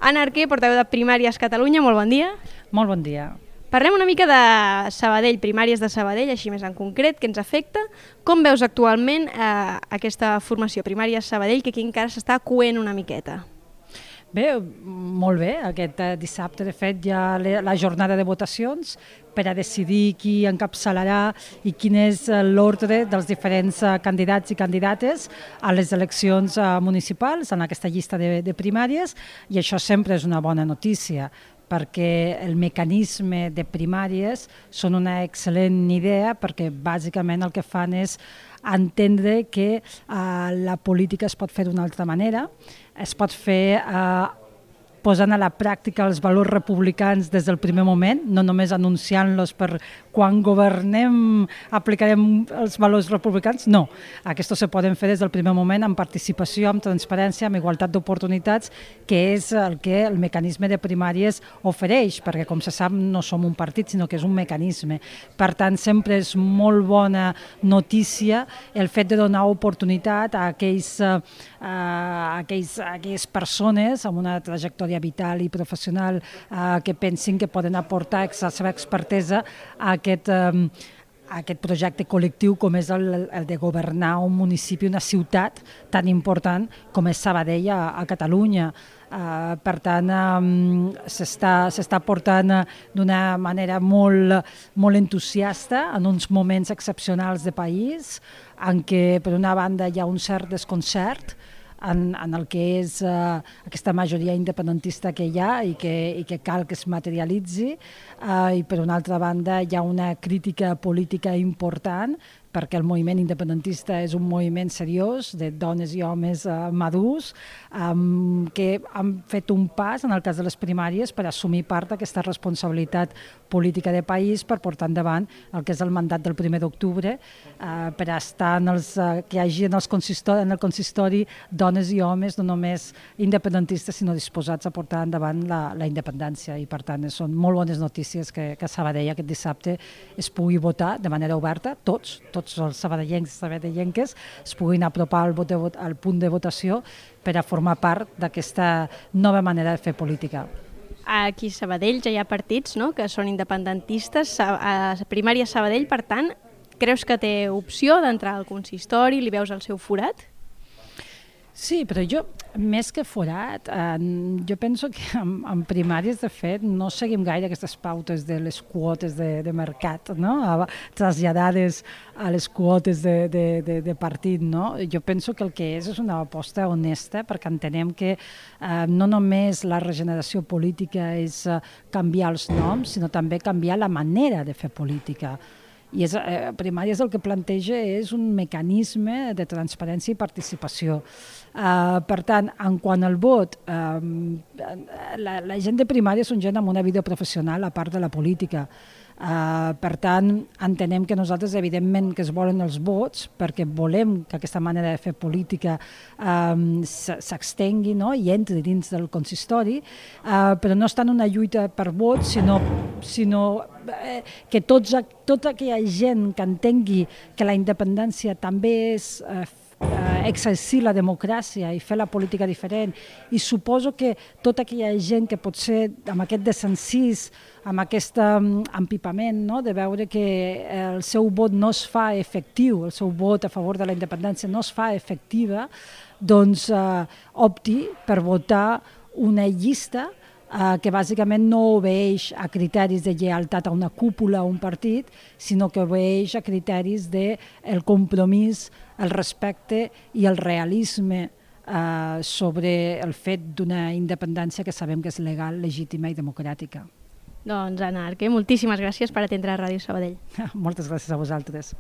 Anna Arquer, portaveu de Primàries Catalunya, molt bon dia. Molt bon dia. Parlem una mica de Sabadell, Primàries de Sabadell, així més en concret, que ens afecta. Com veus actualment aquesta formació, Primàries Sabadell, que aquí encara s'està coent una miqueta? Bé, molt bé. Aquest dissabte, de fet, hi ha la jornada de votacions per a decidir qui encapçalarà i quin és l'ordre dels diferents candidats i candidates a les eleccions municipals en aquesta llista de primàries, i això sempre és una bona notícia, perquè el mecanisme de primàries són una excel·lent idea, perquè bàsicament el que fan és entendre que la política es pot fer d'una altra manera, es pot fer posant a la pràctica els valors republicans des del primer moment, no només anunciant-los per quan governem aplicarem els valors republicans, no. Aquests se poden fer des del primer moment amb participació, amb transparència, amb igualtat d'oportunitats, que és el que el mecanisme de primàries ofereix, perquè com se sap no som un partit, sinó que és un mecanisme. Per tant, sempre és molt bona notícia el fet de donar oportunitat a aquelles persones amb una trajectòria vital i professional que pensin que poden aportar la seva expertesa a aquest projecte col·lectiu com és el de governar un municipi, una ciutat tan important com és Sabadell a Catalunya. Per tant, s'està portant d'una manera molt entusiasta en uns moments excepcionals de país, en què per una banda hi ha un cert desconcert en el que és aquesta majoria independentista que hi ha i que cal que es materialitzi, i per una altra banda hi ha una crítica política important, perquè el moviment independentista és un moviment seriós de dones i homes madurs que han fet un pas en el cas de les primàries per assumir part d'aquesta responsabilitat política de país, per portar endavant el que és el mandat del 1 d'octubre, per estar que hi hagi en el consistori dones i homes no només independentistes sinó disposats a portar endavant la independència, i per tant són molt bones notícies que a Sabadell aquest dissabte es pugui votar de manera oberta, tots els sabadellencs i sabadellenques es puguin apropar al punt de votació per a formar part d'aquesta nova manera de fer política. Aquí a Sabadell ja hi ha partits, no?, que són independentistes. A Primària Sabadell, per tant, creus que té opció d'entrar al consistori? Li veus el seu forat? Sí, però jo, més que forat, jo penso que en primàries, de fet, no seguim gaire aquestes pautes de les quotes de mercat, no?, traslladades a les quotes de partit, no? Jo penso que el que és una aposta honesta, perquè entenem que no només la regeneració política és canviar els noms, sinó també canviar la manera de fer política. I Primàries el que planteja és un mecanisme de transparència i participació. Per tant, en quant al vot, la gent de Primàries són gent amb una vida professional a part de la política. Per tant, entenem que nosaltres, evidentment, que es volen els vots, perquè volem que aquesta manera de fer política s'extengui, no?, i entri dins del consistori, però no està en una lluita per vots, sinó que tota aquella gent que entengui que la independència també és exercir la democràcia i fer la política diferent, i suposo que tota aquella gent que potser amb aquest desencís, amb aquest empipament, no?, de veure que el seu vot no es fa efectiu, el seu vot a favor de la independència no es fa efectiva, doncs opti per votar una llista que bàsicament no obeeix a criteris de lleialtat a una cúpula o un partit, sinó que obeeix a criteris del compromís, el respecte i el realisme sobre el fet d'una independència que sabem que és legal, legítima i democràtica. Doncs, Anna Arquer, moltíssimes gràcies per atendre a Ràdio Sabadell. Moltes gràcies a vosaltres.